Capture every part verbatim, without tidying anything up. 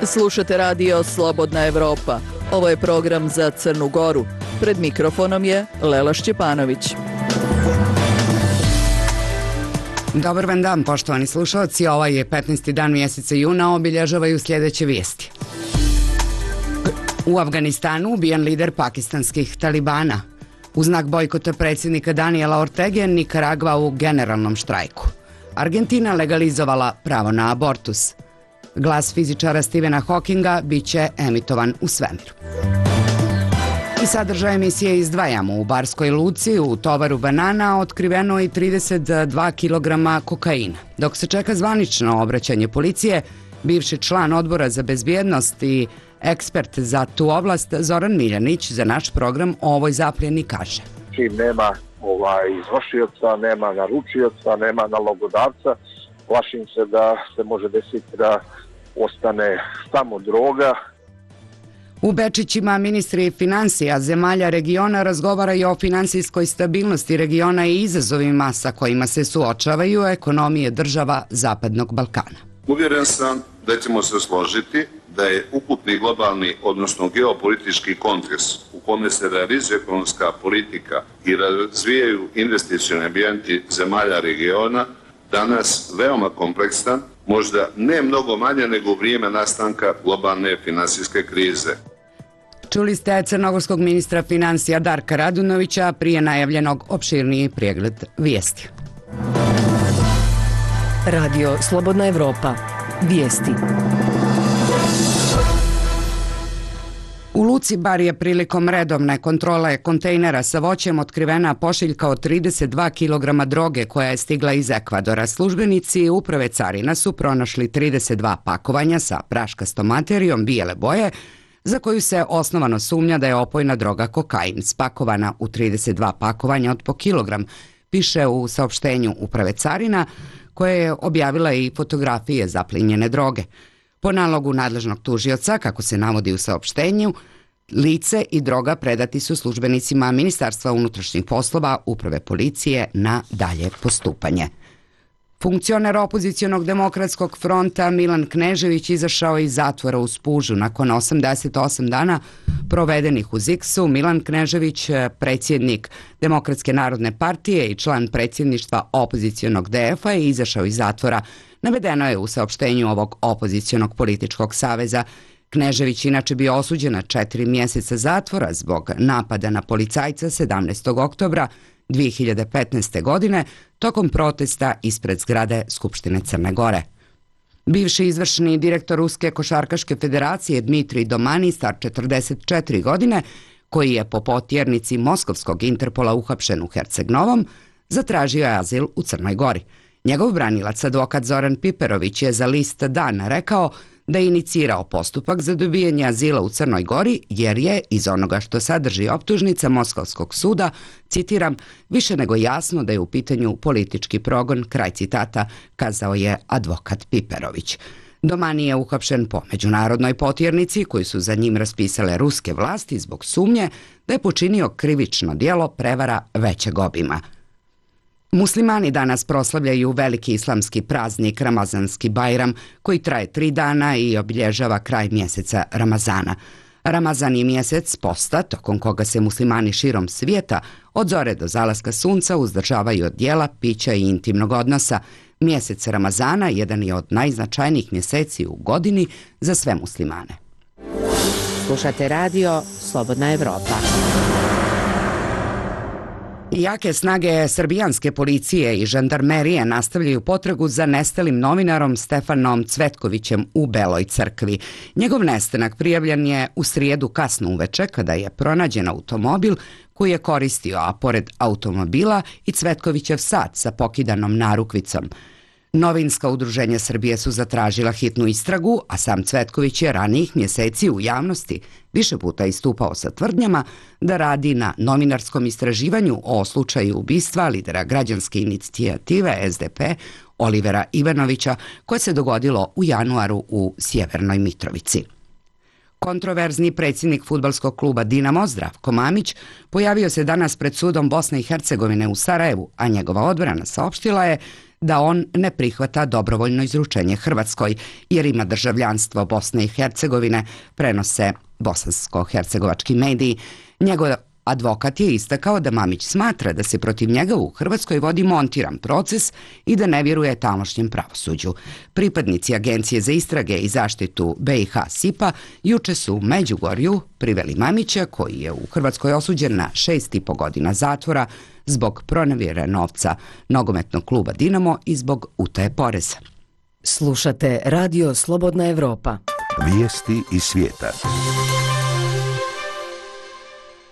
Slušate radio Slobodna Evropa. Ovo je program za Crnu Goru. Pred mikrofonom je Lela Šćepanović. Dobar vam dan, poštovani slušalci. Ovaj je petnaesti dan mjeseca juna, obilježavaju sljedeće vijesti. U Afganistanu ubijen lider pakistanskih talibana. U znak bojkota predsjednika Daniela Ortege, Nikaragva u generalnom štrajku. Argentina legalizovala pravo na abortus. Glas fizičara Stephena Hawkinga bit će emitovan u svemiru. I sadržaj emisije izdvajamo. U Barskoj luci u tovaru banana otkriveno i trideset dva kilograma kokaina. Dok se čeka zvanično obraćanje policije, bivši član odbora za bezbjednost i ekspert za tu oblast Zoran Miljanić za naš program o ovoj zapljeni kaže. Čim nema ovaj, izvršioca, nema naručioca, nema nalogodavca, plašim se da se može desiti da ostane samo droga. U Bečićima ministri financija zemalja regiona razgovaraju o finansijskoj stabilnosti regiona i izazovima sa kojima se suočavaju ekonomije država Zapadnog Balkana. Uvjeren sam da ćemo se složiti da je ukupni globalni, odnosno geopolitički kontekst u kome se realizuje ekonomska politika i razvijaju investicioni ambijenti zemalja regiona danas veoma kompleksan, možda ne mnogo manje nego u vrijeme nastanka globalne finansijske krize. Čuli ste crnogorskog ministra financija Darka Radunovića prije najavljenog opširniji pregled vijesti. Radio Slobodna Evropa. Vijesti. U luci Bar je prilikom redovne kontrole kontejnera sa voćem otkrivena pošiljka od trideset dva kilograma droge koja je stigla iz Ekvadora. Službenici uprave carina su pronašli trideset dva pakovanja sa praškastom materijom bijele boje, za koju se osnovano sumnja da je opojna droga kokain, spakovana u trideset dva pakovanja od po kilogram, piše u saopštenju uprave carina, koje je objavila i fotografije zaplinjene droge. Po nalogu nadležnog tužioca, kako se navodi u saopštenju, lice i droga predati su službenicima Ministarstva unutrašnjih poslova, uprave policije na dalje postupanje. Funkcioner opozicionog demokratskog fronta Milan Knežević izašao iz zatvora u Spužu nakon osamdeset osam dana provedenih u Ziksu. Milan Knežević, predsjednik Demokratske narodne partije i član predsjedništva opozicionog D F-a, je izašao iz zatvora. Navedeno je u saopštenju ovog opozicionog političkog saveza. Knežević inače bio osuđen na četiri mjeseca zatvora zbog napada na policajca sedamnaestog oktobra dvije hiljade petnaeste. godine tokom protesta ispred zgrade Skupštine Crne Gore. Bivši izvršni direktor Ruske košarkaške federacije Dmitrij Domani, star četrdeset četiri godine, koji je po potjernici Moskovskog Interpola uhapšen u Herceg-Novom, zatražio je azil u Crnoj Gori. Njegov branilac, advokat Zoran Piperović, je za list Dan rekao da je inicirao postupak za dobijanje azila u Crnoj Gori jer je, iz onoga što sadrži optužnica Moskovskog suda, citiram, više nego jasno da je u pitanju politički progon, kraj citata, kazao je advokat Piperović. Domani je uhapšen po međunarodnoj potjernici koju su za njim raspisale ruske vlasti zbog sumnje da je počinio krivično djelo prevara većeg obima. Muslimani danas proslavljaju veliki islamski praznik Ramazanski Bajram, koji traje tri dana i obilježava kraj mjeseca Ramazana. Ramazan je mjesec posta, tokom koga se muslimani širom svijeta od zore do zalaska sunca uzdržavaju od jela, pića i intimnog odnosa. Mjesec Ramazana jedan je od najznačajnijih mjeseci u godini za sve muslimane. Slušate radio Slobodna Evropa. Jake snage srbijanske policije i žandarmerije nastavljaju potragu za nestalim novinarom Stefanom Cvetkovićem u Beloj Crkvi. Njegov nestanak prijavljen je u srijedu kasno uveče kada je pronađen automobil koji je koristio, a pored automobila i Cvetkovićev sat sa pokidanom narukvicom. Novinska udruženja Srbije su zatražila hitnu istragu, a sam Cvetković je ranijih mjeseci u javnosti više puta istupao sa tvrdnjama da radi na novinarskom istraživanju o slučaju ubistva lidera građanske inicijative S D P Olivera Ivanovića, koje se dogodilo u januaru u Sjevernoj Mitrovici. Kontroverzni predsjednik fudbalskog kluba Dinamo Zdravko Mamić pojavio se danas pred sudom Bosne i Hercegovine u Sarajevu, a njegova odbrana saopštila je da on ne prihvata dobrovoljno izručenje Hrvatskoj jer ima državljanstvo Bosne i Hercegovine, prenose bosansko-hercegovački mediji. Njegov advokat je istakao da Mamić smatra da se protiv njega u Hrvatskoj vodi montiran proces i da ne vjeruje tamošnjem pravosuđu. Pripadnici Agencije za istrage i zaštitu B i H S I P-a juče su u Međugorju priveli Mamića, koji je u Hrvatskoj osuđen na šest i po godina zatvora zbog pronevjere novca nogometnog kluba Dinamo i zbog utaje poreza. Slušate Radio Slobodna Evropa. Vijesti iz svijeta.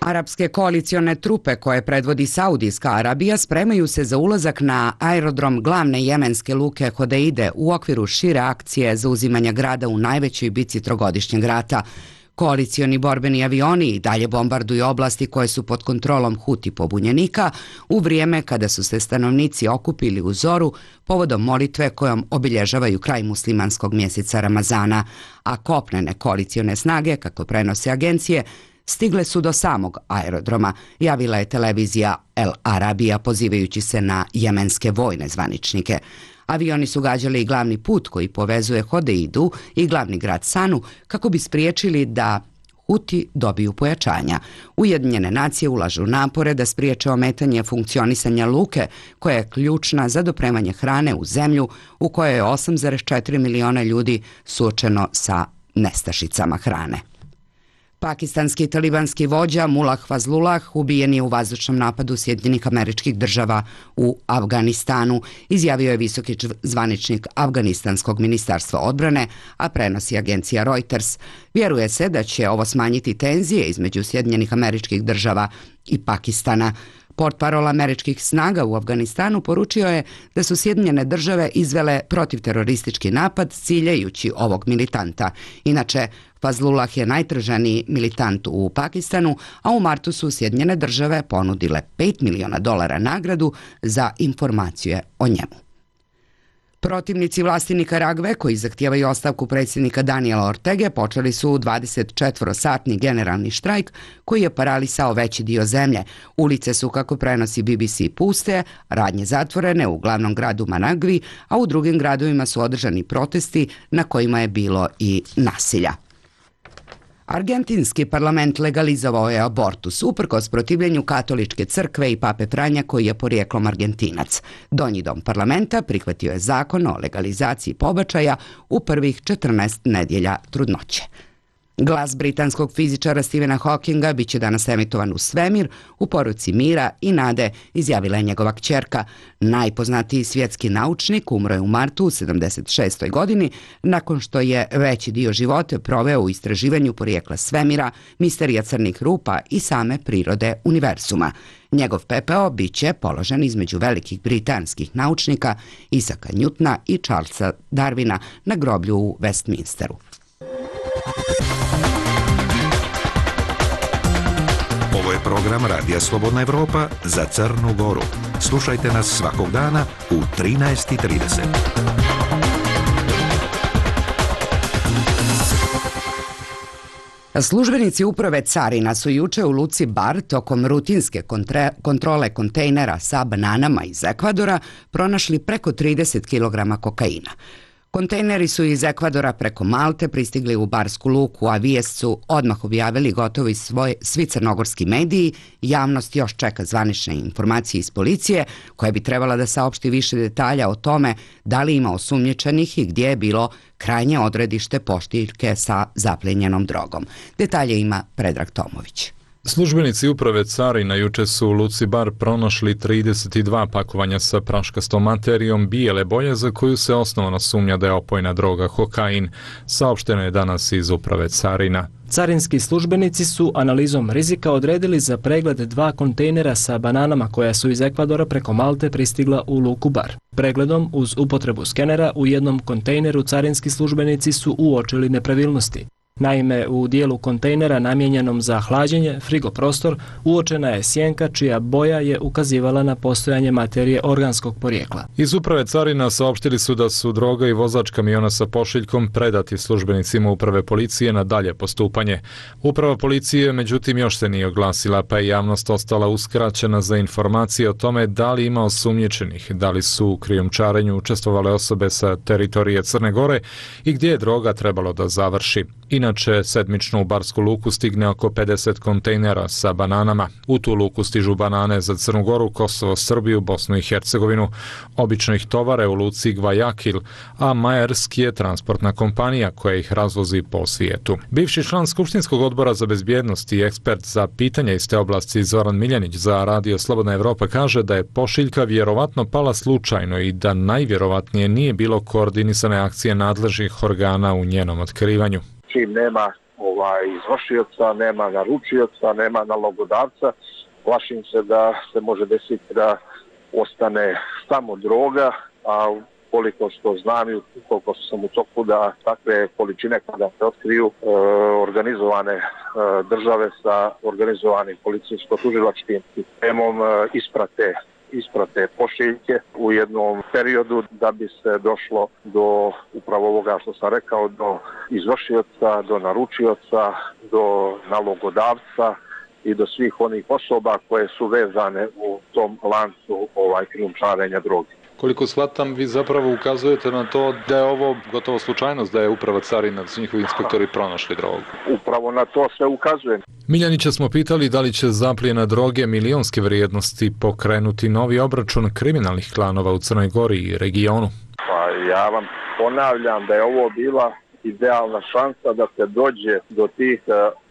Arapske koalicione trupe koje predvodi Saudijska Arabija spremaju se za ulazak na aerodrom glavne jemenske luke Hodeide u okviru šire akcije za uzimanje grada u najvećoj bici trogodišnjeg rata. Koalicioni borbeni avioni i dalje bombarduju oblasti koje su pod kontrolom Huti pobunjenika u vrijeme kada su se stanovnici okupili u zoru povodom molitve kojom obilježavaju kraj muslimanskog mjeseca Ramazana, a kopnene koalicione snage, kako prenose agencije, stigle su do samog aerodroma, javila je televizija El Arabija pozivajući se na jemenske vojne zvaničnike. Avioni su gađali i glavni put koji povezuje Hodeidu i glavni grad Sanu kako bi spriječili da Huti dobiju pojačanja. Ujedinjene nacije ulažu napore da spriječe ometanje funkcionisanja luke, koja je ključna za dopremanje hrane u zemlju u kojoj je osam zarez četiri miliona ljudi suočeno sa nestašicama hrane. Pakistanski talibanski vođa Mullah Fazlullah ubijen je u vazdušnom napadu Sjedinjenih Američkih Država u Afganistanu, izjavio je visoki zvaničnik Afganistanskog ministarstva odbrane, a prenosi agencija Reuters. Vjeruje se da će ovo smanjiti tenzije između Sjedinjenih Američkih Država i Pakistana. Portparol američkih snaga u Afganistanu poručio je da su Sjedinjene Države izvele protivteroristički napad ciljajući ovog militanta. Inače, Fazlullah je najtraženiji militant u Pakistanu, a u martu su Sjedinjene Države ponudile pet miliona dolara nagradu za informacije o njemu. Protivnici vlasti Nikaragve, koji zahtijevaju ostavku predsjednika Daniela Ortege, počeli su dvadesetčetvorosatni generalni štrajk koji je paralisao veći dio zemlje. Ulice su, kako prenosi B B C, puste, radnje zatvorene u glavnom gradu Managvi, a u drugim gradovima su održani protesti na kojima je bilo i nasilja. Argentinski parlament legalizovao je abortus uprkos protivljenju katoličke crkve i pape Franja, koji je porijeklom Argentinac. Donji dom parlamenta prihvatio je zakon o legalizaciji pobačaja u prvih četrnaest nedjelja trudnoće. Glas britanskog fizičara Stephena Hawkinga bit će danas emitovan u svemir u poruci mira i nade, izjavila je njegova kćerka. Najpoznatiji svjetski naučnik umro je u martu u sedamdeset šestoj godini nakon što je veći dio života proveo u istraživanju porijekla svemira, misterija crnih rupa i same prirode univerzuma. Njegov pepeo bit će položen između velikih britanskih naučnika Isaka Newtona i Charlesa Darwina na groblju u Westminsteru. Ovo je program Radija Slobodna Evropa za Crnu Goru. Slušajte nas svakog dana u trinaest i trideset. Službenici uprave carina su juče u luci Bar tokom rutinske kontre, kontrole kontejnera sa bananama iz Ekvadora pronašli preko trideset kilograma kokaina. Kontejneri su iz Ekvadora preko Malte pristigli u Barsku luku, a vijest su odmah objavili gotovi svoje, svi crnogorski mediji. Javnost još čeka zvanične informacije iz policije, koja bi trebala da saopšti više detalja o tome da li ima osumnjičenih i gdje je bilo krajnje odredište pošiljke sa zaplijenjenom drogom. Detalje ima Predrag Tomović. Službenici uprave carina juče su u luci Bar pronašli trideset dva pakovanja sa praškastom materijom bijele boje za koju se osnovno sumnja da je opojna droga kokain, saopšteno je danas iz uprave carina. Carinski službenici su analizom rizika odredili za pregled dva kontejnera sa bananama koja su iz Ekvadora preko Malte pristigla u luku Bar. Pregledom uz upotrebu skenera u jednom kontejneru carinski službenici su uočili nepravilnosti. Naime, u dijelu kontejnera namijenjenom za hlađenje, frigoprostor, uočena je sjenka čija boja je ukazivala na postojanje materije organskog porijekla. Iz uprave carina saopštili su da su droga i vozač kamiona sa pošiljkom predati službenicima uprave policije na dalje postupanje. Uprava policije međutim još se nije oglasila, pa je javnost ostala uskraćena za informacije o tome da li ima osumnjičenih, da li su u krijumčarenju učestvovale osobe sa teritorije Crne Gore i gdje je droga trebalo da završi. Inače, sedmično u Barsku luku stigne oko pedeset kontejnera sa bananama. U tu luku stižu banane za Crnu Goru, Kosovo, Srbiju, Bosnu i Hercegovinu. Obično ih tovare u luci Gvajakil, a Maersk je transportna kompanija koja ih razvozi po svijetu. Bivši član Skupštinskog odbora za bezbjednost i ekspert za pitanja iz te oblasti Zoran Miljanić za Radio Slobodna Evropa kaže da je pošiljka vjerovatno pala slučajno i da najvjerovatnije nije bilo koordinisane akcije nadležnih organa u njenom otkrivanju. Čim nema ovaj, izvršioca, nema naručioca, nema nalogodavca, plašim se da se može desiti da ostane samo droga, a koliko što znam i koliko sam u toku da takve količine kada se otkriju e, organizovane e, države sa organizovanim policijsko-tužilačkim sistemom e, isprate isprate pošiljke u jednom periodu da bi se došlo do upravo ovoga što sam rekao, do izvršioca, do naručioca, do nalogodavca i do svih onih osoba koje su vezane u tom lancu ovaj krijumčarenja droge. Koliko shvatam, vi zapravo ukazujete na to da je ovo gotovo slučajnost da je uprava carina, da su njihovi inspektori pronašli drogu. Upravo na to sve ukazujem. Miljanića smo pitali da li će zaplijena droge milionske vrijednosti pokrenuti novi obračun kriminalnih klanova u Crnoj Gori i regionu. Pa ja vam ponavljam da je ovo bila idealna šansa da se dođe do tih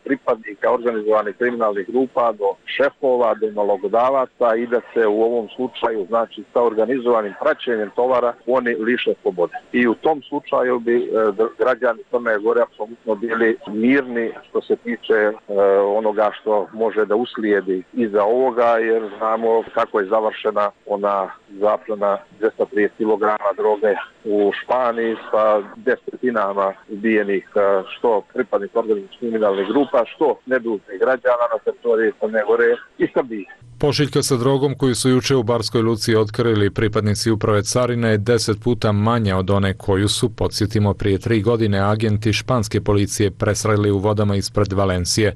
pripadnika organizovanih kriminalnih grupa, do šefova, do nalogodavaca i da se u ovom slučaju, znači sa organizovanim praćenjem tovara, oni liše slobode. I u tom slučaju bi e, građani Crne Gore apsolutno bili mirni što se tiče e, onoga što može da uslijedi iza ovoga, jer znamo kako je završena ona zaplena dvjesto trideset kilograma droge u Španiji sa desetinama ubijenih što pripadnika organizovanih kriminalnih grupa, što nedužnih građana na teritoriji Crne Gore i Srbije. Pošiljka sa drogom koju su juče u Barskoj luci otkrili pripadnici uprave carine je deset puta manja od one koju su, podsjetimo, prije tri godine agenti španske policije presreli u vodama ispred Valencije.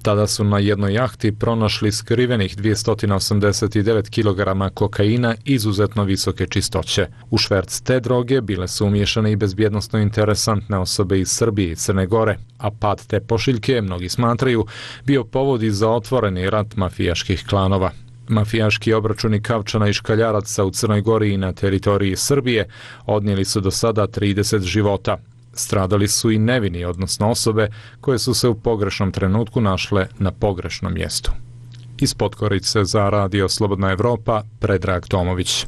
Tada su na jednoj jahti pronašli skrivenih dvjesto osamdeset devet kilograma kokaina izuzetno visoke čistoće. U šverc te droge bile su umiješane i bezbjednosno interesantne osobe iz Srbije i Crne Gore, a pad te pošiljke, mnogi smatraju, bio povod i za otvoreni rat mafijaških klanova. Mafijaški obračuni Kavčana i Škaljaraca u Crnoj Gori i na teritoriji Srbije odnijeli su do sada trideset života. Stradali su i nevini, odnosno osobe koje su se u pogrešnom trenutku našle na pogrešnom mjestu. Iz Podgorice za Radio Slobodna Evropa, Predrag Tomović.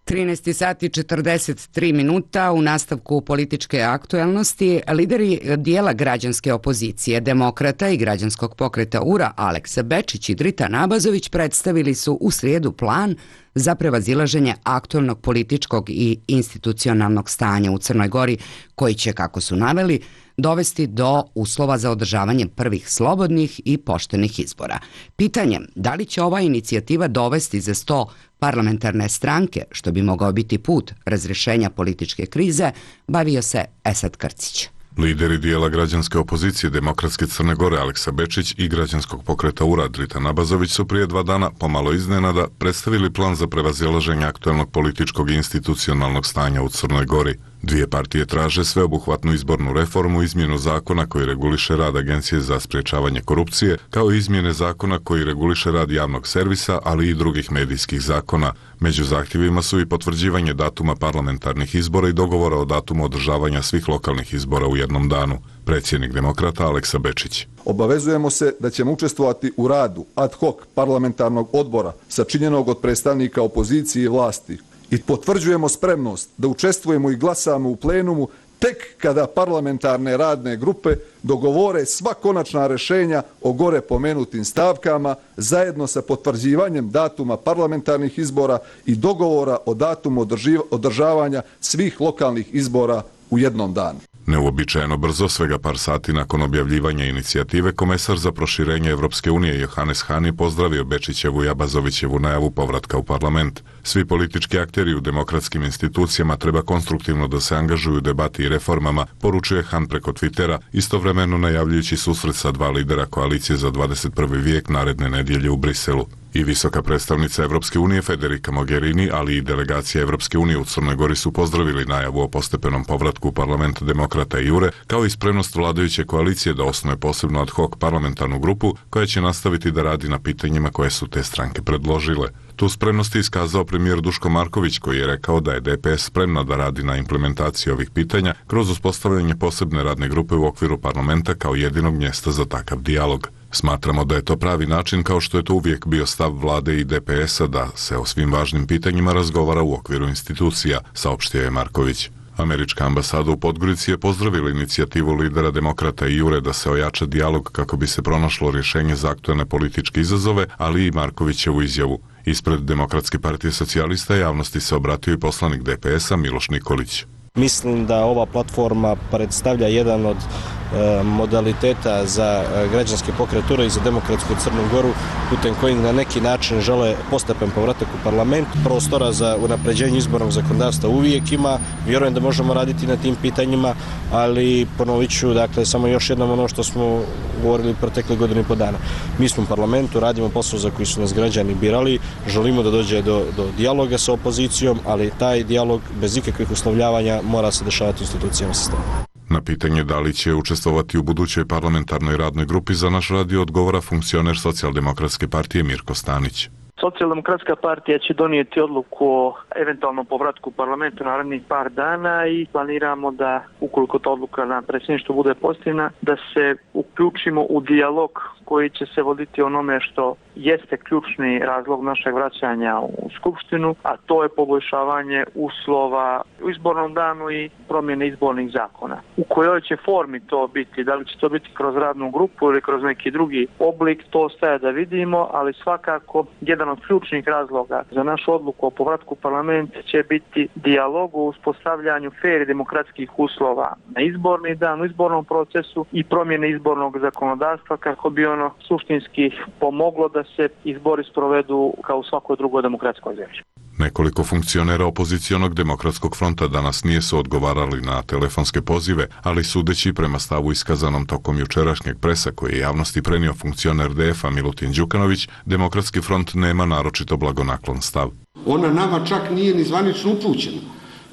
trinaest sati četrdeset tri minuta u nastavku političke aktuelnosti. Lideri dijela građanske opozicije, Demokrata i građanskog pokreta U R A Aleksa Bečić i Drita Nabazović predstavili su u srijedu plan za prevazilaženje aktuelnog političkog i institucionalnog stanja u Crnoj Gori, koji će, kako su naveli, dovesti do uslova za održavanje prvih slobodnih i poštenih izbora. Pitanje da li će ova inicijativa dovesti za sto parlamentarne stranke, što bi mogao biti put razrješenja političke krize, bavio se Esad Krcić. Lideri dijela građanske opozicije Demokratske Crne Gore Aleksa Bečić i građanskog pokreta U R A Drita Nabazović su prije dva dana, pomalo iznenada, predstavili plan za prevazilaženje aktuelnog političkog i institucionalnog stanja u Crnoj Gori. Dvije partije traže sveobuhvatnu izbornu reformu, izmjenu zakona koji reguliše rad Agencije za sprječavanje korupcije, kao i izmjene zakona koji reguliše rad javnog servisa, ali i drugih medijskih zakona. Među zahtjevima su i potvrđivanje datuma parlamentarnih izbora i dogovora o datumu održavanja svih lokalnih izbora u jednom danu. Predsjednik Demokrata Aleksa Bečić. Obavezujemo se da ćemo učestvovati u radu ad hoc parlamentarnog odbora sačinjenog od predstavnika opozicije i vlasti i potvrđujemo spremnost da učestvujemo i glasamo u plenumu tek kada parlamentarne radne grupe dogovore sva konačna rješenja o gore pomenutim stavkama zajedno sa potvrđivanjem datuma parlamentarnih izbora i dogovora o datumu održavanja svih lokalnih izbora u jednom danu. Neuobičajeno brzo, svega par sati nakon objavljivanja inicijative, komesar za proširenje Evropske unije Johannes Hahn je pozdravio Bečićevu i Abazovićevu najavu povratka u parlament. Svi politički akteri u demokratskim institucijama treba konstruktivno da se angažuju u debati i reformama, poručuje Hahn preko Twittera, istovremeno najavljujući susret sa dva lidera koalicije za dvadeset prvi vijek naredne nedjelje u Briselu. I visoka predstavnica Evropske unije Federica Mogherini, ali i delegacija Evropske unije u Crnoj Gori su pozdravili najavu o postepenom povratku u parlament demokrata i Jure, kao i spremnost vladajuće koalicije da osnuje posebnu ad hoc parlamentarnu grupu koja će nastaviti da radi na pitanjima koje su te stranke predložile. Tu spremnost je iskazao premijer Duško Marković, koji je rekao da je D P S spremna da radi na implementaciji ovih pitanja kroz uspostavljanje posebne radne grupe u okviru parlamenta kao jedinog mjesta za takav dijalog. Smatramo da je to pravi način, kao što je to uvijek bio stav vlade i D P S-a, da se o svim važnim pitanjima razgovara u okviru institucija, saopštio je Marković. Američka ambasada u Podgorici je pozdravila inicijativu lidera demokrata i Jure da se ojača dijalog kako bi se pronašlo rješenje za aktuelne političke izazove, ali i Markovićevu izjavu. Ispred Demokratske partije socijalista javnosti se obratio i poslanik D P S-a Miloš Nikolić. Mislim da ova platforma predstavlja jedan od e, modaliteta za građanske pokreture i za demokratsku Crnu Goru, putem kojih na neki način žele postepen povratak u parlament. Prostora za unapređenje izbornog zakonodavstva uvijek ima. Vjerujem da možemo raditi na tim pitanjima, ali ponovit ću, dakle, samo još jednom ono što smo govorili protekle godine i po dana. Mi smo u parlamentu, radimo posao za koji su nas građani birali, želimo da dođe do, do dijaloga sa opozicijom, ali taj dijalog bez ikakvih uslovljavanja mora se dešavati u institucijama sistema. Na pitanje da li će učestvovati u budućoj parlamentarnoj radnoj grupi za naš radio odgovara funkcioner Socijaldemokratske partije Mirko Stanić. Socijaldemokratska partija će donijeti odluku o eventualnom povratku u parlamentu narednih par dana i planiramo da, ukoliko ta odluka na predsjedništvu bude pozitivna, da se uključimo u dijalog koji će se voditi onome što jeste ključni razlog našeg vraćanja u Skupštinu, a to je poboljšavanje uslova u izbornom danu i promjene izbornih zakona. U kojoj će formi to biti, da li će to biti kroz radnu grupu ili kroz neki drugi oblik, to ostaje da vidimo, ali svakako jedan od ključnih razloga za našu odluku o povratku u parlament će biti dijalog u uspostavljanju fer i demokratskih uslova na izborni dan, u izbornom procesu i promjene izbornog zakonodavstva kako bi ono suštinski pomoglo da se izbori sprovedu kao u svakoj drugoj demokratskoj zemlji. Nekoliko funkcionera opozicionog demokratskog fronta danas nije su odgovarali na telefonske pozive, ali sudeći prema stavu iskazanom tokom jučerašnjeg presa koji je javnosti prenio funkcioner D F-a Milutin Đukanović, demokratski front nema naročito blagonaklon stav. Ona nama čak nije ni zvanično upućena.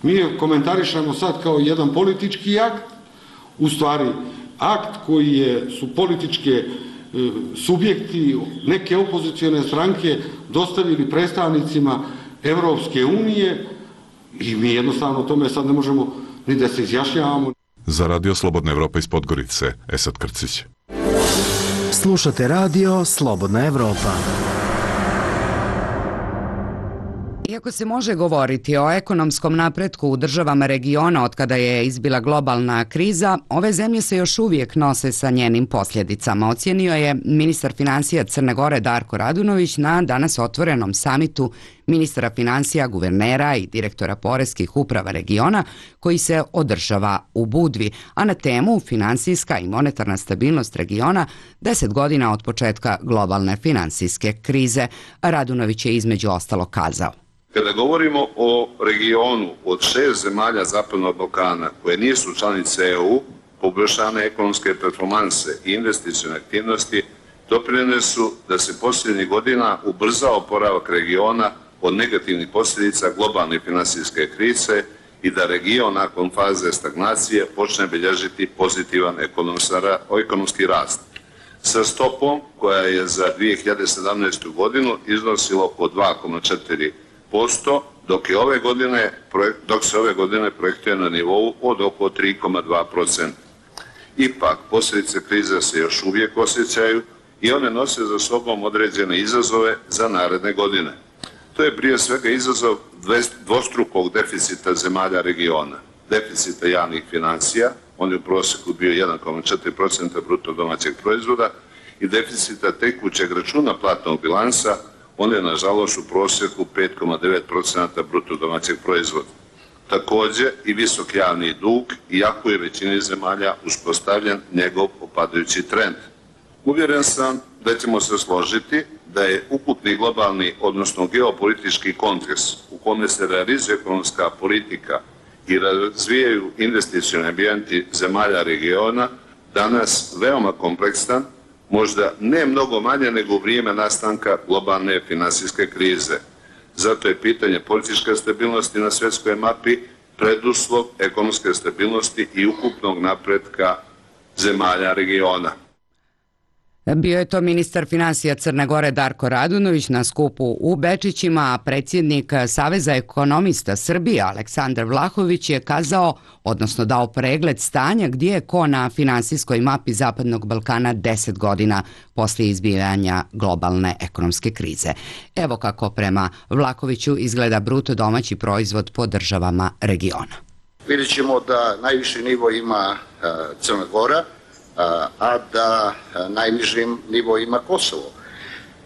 Mi je komentarišemo sad kao jedan politički akt, u stvari akt koji je, su političke subjekti, neke opozicione stranke dostavili predstavnicima Evropske unije i mi jednostavno o tome sad ne možemo ni da se izjašnjavamo. Za Radio Slobodna Evropa iz Podgorice, Esad Krcić. Slušate Radio Slobodna Evropa. Iako se može govoriti o ekonomskom napretku u državama regiona od kada je izbila globalna kriza, ove zemlje se još uvijek nose sa njenim posljedicama, ocijenio je ministar financija Crne Gore Darko Radunović na danas otvorenom samitu ministara financija, guvernera i direktora poreskih uprava regiona koji se održava u Budvi, a na temu finansijska i monetarna stabilnost regiona deset godina od početka globalne finansijske krize. Radunović je između ostalo kazao. Kada govorimo o regionu od šest zemalja Zapadnog Balkana koje nisu članice E U, poboljšane ekonomske performanse i investicione aktivnosti doprinijele su da se posljednjih godina ubrzao oporavak regiona od negativnih posljedica globalne finansijske krize i da region nakon faze stagnacije počne bilježiti pozitivan ekonomski rast. Sa stopom koja je za dvije hiljade sedamnaestu. godinu iznosila oko dva zarez četiri posto, dok, je ove godine, dok se ove godine projektuje na nivou od oko tri zarez dva posto. Ipak, posljedice krize se još uvijek osjećaju i one nose za sobom određene izazove za naredne godine. To je prije svega izazov dvostrukog deficita zemalja regiona. Deficita javnih financija, on je u prosjeku bio jedan zarez četiri posto bruto domaćeg proizvoda, i deficita tekućeg računa platnog bilansa, on je nažalost u prosjeku pet zarez devet posto bruto domaćeg proizvoda. Također i visok javni dug, iako je većini zemalja uspostavljen njegov opadajući trend. Uvjeren sam da ćemo se složiti da je ukupni globalni, odnosno geopolitički kontekst u kome se realizuje ekonomska politika i razvijaju investicioni ambijenti zemalja regiona danas veoma kompleksan, možda ne mnogo manje nego u vrijeme nastanka globalne finansijske krize. Zato je pitanje političke stabilnosti na svjetskoj mapi preduslov ekonomske stabilnosti i ukupnog napretka zemalja regiona. Bio je to ministar finansija Crne Gore Darko Radunović na skupu u Bečićima, a predsjednik Saveza ekonomista Srbije Aleksandar Vlahović je kazao, odnosno dao pregled stanja gdje je ko na finansijskoj mapi Zapadnog Balkana deset godina poslije izbijanja globalne ekonomske krize. Evo kako prema Vlahoviću izgleda bruto domaći proizvod po državama regiona. Vidjet ćemo da najviši nivo ima Crna Gora, a da najniži nivo ima Kosovo.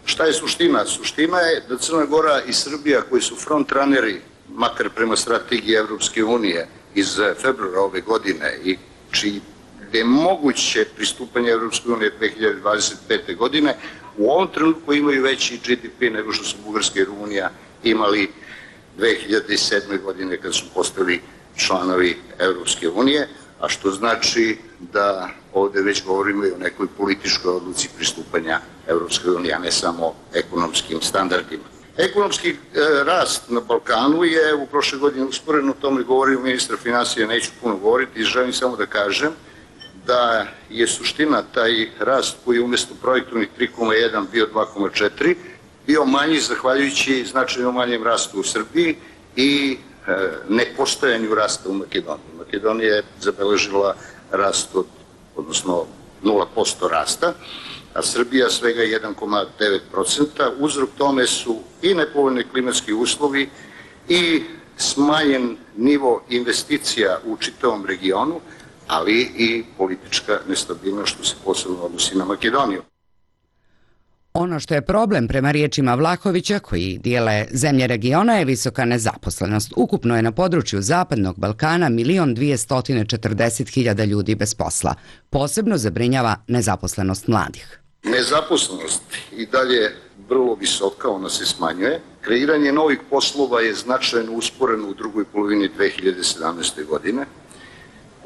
Šta je suština? Suština je da Crna Gora i Srbija, koji su frontraneri, makar prema strategiji Evropske unije iz februara ove godine i čiji je moguće pristupanje Evropske unije dve hiljade dvadeset pete. godine, u ovom trenutku imaju veći G D P nego što su Bugarska i Rumunija imali dve hiljade sedme. godine kad su postali članovi Evropske unije, a što znači da ovdje već govorimo i o nekoj političkoj odluci pristupanja Evropske unije, a ne samo ekonomskim standardima. Ekonomski e, rast na Balkanu je u prošle godine usporen, o tome govorio ministar finansija, neću puno govoriti i želim samo da kažem da je suština taj rast koji je umjesto projektovnih tri zarez jedan bio dva zarez četiri, bio manji zahvaljujući značajno manjem rastu u Srbiji i e, nepostojanju rasta u Makedoniji. Makedonija je zabeležila rast od, odnosno nula posto rasta, a Srbija svega jedan zarez devet posto. Uzrok tome su i nepovoljni klimatski uslovi i smanjen nivo investicija u čitavom regionu, ali i politička nestabilnost što se posebno odnosi na Makedoniju. Ono što je problem prema riječima Vlahovića, koji dijele zemlje regiona, je visoka nezaposlenost. Ukupno je na području Zapadnog Balkana milion dvjesto četrdeset hiljada ljudi bez posla. Posebno zabrinjava nezaposlenost mladih. Nezaposlenost i dalje vrlo visoka, ona se smanjuje. Kreiranje novih poslova je značajno usporeno u drugoj polovini dve hiljade sedamnaeste. godine.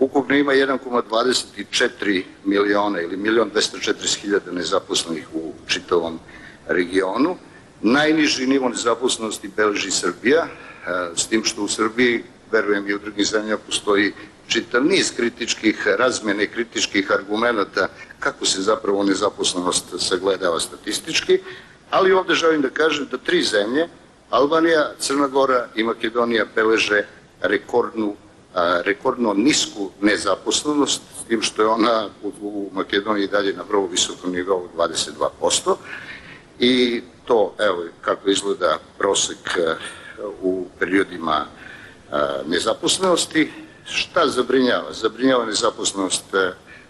Ukupno ima jedan zarez dvadeset četiri miliona ili milion dvjesto četrdeset hiljada nezaposlenih u čitavom regionu. Najniži nivo nezaposlenosti beleži Srbija, s tim što u Srbiji, verujem i u drugim zemljama, postoji čitav niz kritičkih razmjene, kritičkih argumenata kako se zapravo nezaposlenost sagledava statistički, ali ovdje želim da kažem da tri zemlje, Albanija, Crna Gora i Makedonija, beleže rekordnu rekordno nisku nezaposlenost, s tim što je ona u Makedoniji dalje na vrlo visokom nivou dvadeset dva posto. I to, evo kako izgleda prosek u periodima nezaposlenosti. Šta zabrinjava? Zabrinjava nezaposlenost,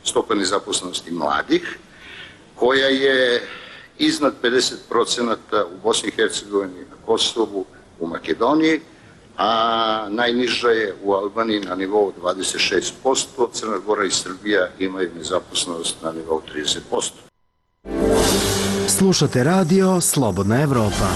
stopa nezaposlenosti mladih, koja je iznad pedeset procenata u Bosni i Hercegovini, na Kosovu, u Makedoniji, a najniža je u Albaniji na nivou dvadeset šest posto, Crna Gora i Srbija imaju nezaposlenost na nivou trideset posto. Slušate radio Slobodna Evropa.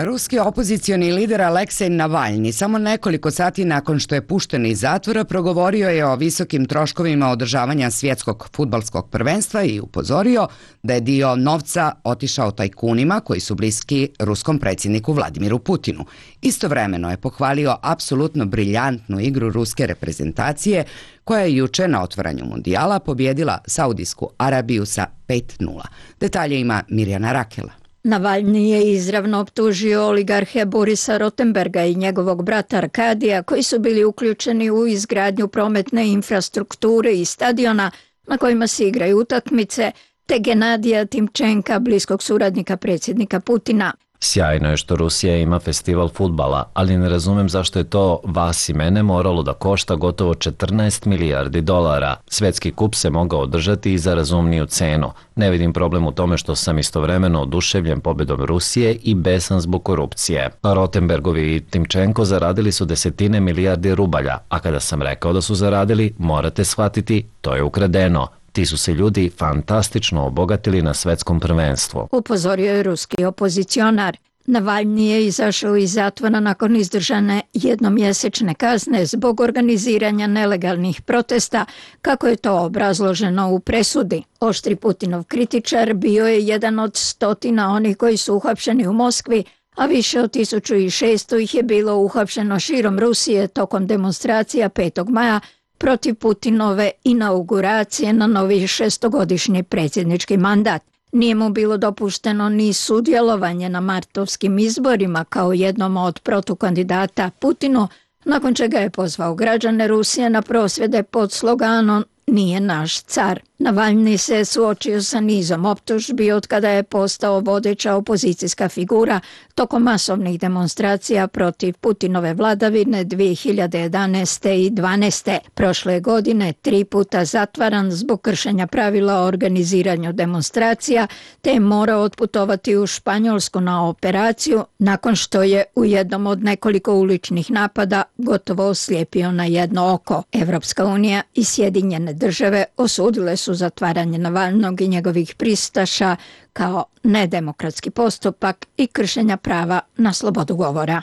Ruski opozicioni lider Aleksej Navalni samo nekoliko sati nakon što je pušten iz zatvora progovorio je o visokim troškovima održavanja svjetskog fudbalskog prvenstva i upozorio da je dio novca otišao tajkunima koji su bliski ruskom predsjedniku Vladimiru Putinu. Istovremeno je pohvalio apsolutno briljantnu igru ruske reprezentacije koja je juče na otvaranju mundijala pobjedila Saudijsku Arabiju sa pet nula. Detalje ima Mirjana Rakela. Navalni je izravno optužio oligarhe Borisa Rotenberga i njegovog brata Arkadija, koji su bili uključeni u izgradnju prometne infrastrukture i stadiona na kojima se igraju utakmice, te Genadija Timčenka, bliskog suradnika predsjednika Putina. Sjajno je što Rusija ima festival fudbala, ali ne razumem zašto je to vas i mene moralo da košta gotovo četrnaest milijardi dolara. Svetski kup se mogao održati i za razumniju cenu. Ne vidim problem u tome što sam istovremeno oduševljen pobedom Rusije i besan zbog korupcije. Rotenbergovi i Timčenko zaradili su desetine milijardi rubalja, a kada sam rekao da su zaradili, morate shvatiti, to je ukradeno. Ti su se ljudi fantastično obogatili na svetskom prvenstvu. Upozorio je ruski opozicionar. Navalni je izašao iz zatvora nakon izdržane jednomjesečne kazne zbog organiziranja nelegalnih protesta, kako je to obrazloženo u presudi. Oštri Putinov kritičar bio je jedan od stotina onih koji su uhapšeni u Moskvi, a više od tisuću šesto ih je bilo uhapšeno širom Rusije tokom demonstracija petog maja protiv Putinove inauguracije na novi šestogodišnji predsjednički mandat. Nije mu bilo dopušteno ni sudjelovanje na martovskim izborima kao jednom od protukandidata Putinu, nakon čega je pozvao građane Rusije na prosvjede pod sloganom "Nije naš car". Navalni se suočio sa nizom optužbi od kada je postao vodeća opozicijska figura tokom masovnih demonstracija protiv Putinove vladavine dvije hiljade jedanaeste i dvanaeste. Prošle godine tri puta zatvaran zbog kršenja pravila o organiziranju demonstracija, te je morao otputovati u Španjolsku na operaciju nakon što je u jednom od nekoliko uličnih napada gotovo oslijepio na jedno oko. Evropska unija i Sjedinjene države osudile su zatvaranje Navalnog i njegovih pristaša kao nedemokratski postupak i kršenja prava na slobodu govora.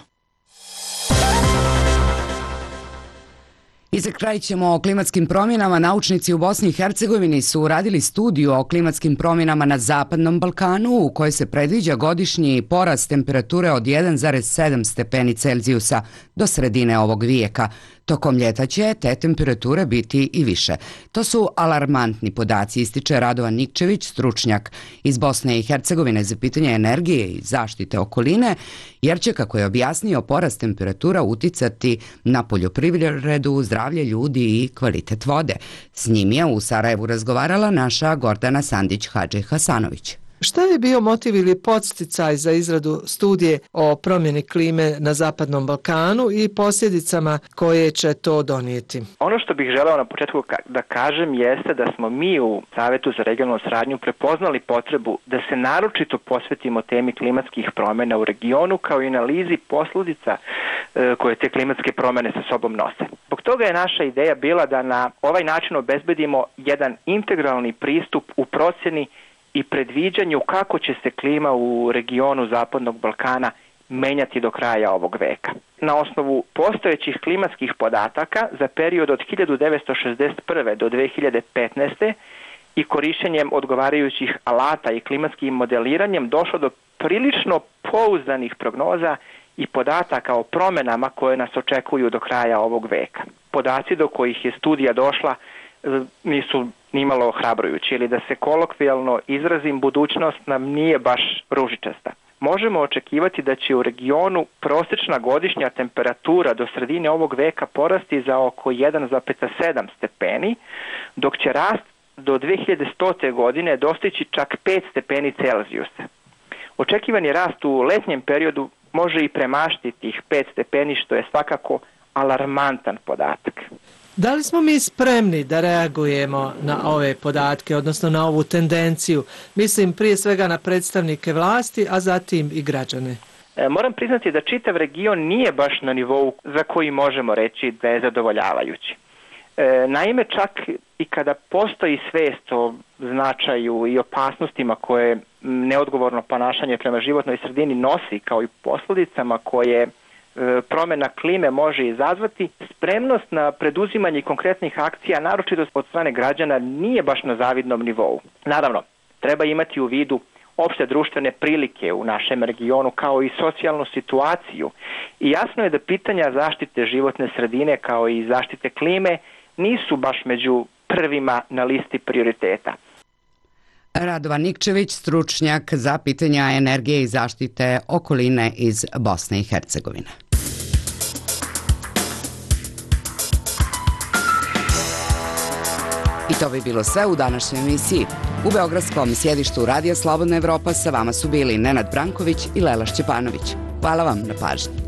I za kraj ćemo o klimatskim promjenama. Naučnici u Bosni i Hercegovini su uradili studiju o klimatskim promjenama na Zapadnom Balkanu u kojoj se predviđa godišnji porast temperature od jedan zarez sedam stepeni Celzijusa do sredine ovog vijeka. Tokom ljeta će te temperature biti i više. To su alarmantni podaci, ističe Radovan Nikčević, stručnjak iz Bosne i Hercegovine za pitanje energije i zaštite okoline, jer će, kako je objasnio, porast temperatura uticati na poljoprivredu, zdravlje ljudi i kvalitet vode. S njim je u Sarajevu razgovarala naša Gordana Sandić-Hadži-Hasanović. Šta je bio motiv ili podsticaj za izradu studije o promjeni klime na Zapadnom Balkanu i posljedicama koje će to donijeti? Ono što bih želeo na početku da kažem jeste da smo mi u Savjetu za regionalnu saradnju prepoznali potrebu da se naročito posvetimo temi klimatskih promjena u regionu kao i analizi posljedica koje te klimatske promjene sa sobom nose. Zbog toga je naša ideja bila da na ovaj način obezbedimo jedan integralni pristup u procjeni i predviđanju kako će se klima u regionu Zapadnog Balkana menjati do kraja ovog veka. Na osnovu postojećih klimatskih podataka za period od hiljadu devetsto šezdeset prve do dve hiljade petnaeste. i korištenjem odgovarajućih alata i klimatskim modeliranjem došlo do prilično pouzdanih prognoza i podataka o promjenama koje nas očekuju do kraja ovog veka. Podaci do kojih je studija došla nisu nimalo ohrabrujući, ili da se kolokvijalno izrazim, budućnost nam nije baš ružičasta. Možemo očekivati da će u regionu prosječna godišnja temperatura do sredine ovog veka porasti za oko jedan zarez sedam stepeni, dok će rast do dve hiljade stote godine dostići čak pet stepeni Celzijusa. Očekivani rast u letnjem periodu može i premašiti tih pet stepeni, što je svakako alarmantan podatak. Da li smo mi spremni da reagujemo na ove podatke, odnosno na ovu tendenciju? Mislim prije svega na predstavnike vlasti, a zatim i građane. E, moram priznati da čitav region nije baš na nivou za koji možemo reći da je zadovoljavajući. E, naime, čak i kada postoji svijest o značaju i opasnostima koje neodgovorno ponašanje prema životnoj sredini nosi, kao i posljedicama koje promjena klime može izazvati, spremnost na preduzimanje konkretnih akcija, naročito od strane građana, nije baš na zavidnom nivou. Naravno, treba imati u vidu opšte društvene prilike u našem regionu, kao i socijalnu situaciju. I jasno je da pitanja zaštite životne sredine kao i zaštite klime nisu baš među prvima na listi prioriteta. Radovan Nikčević, stručnjak za pitanja energije i zaštite okoline iz Bosne i Hercegovine. I to bi bilo sve u današnjoj emisiji. U beogradskom sjedištu Radija Slobodna Evropa sa vama su bili Nenad Branković i Lela Šćepanović. Hvala vam na pažnji.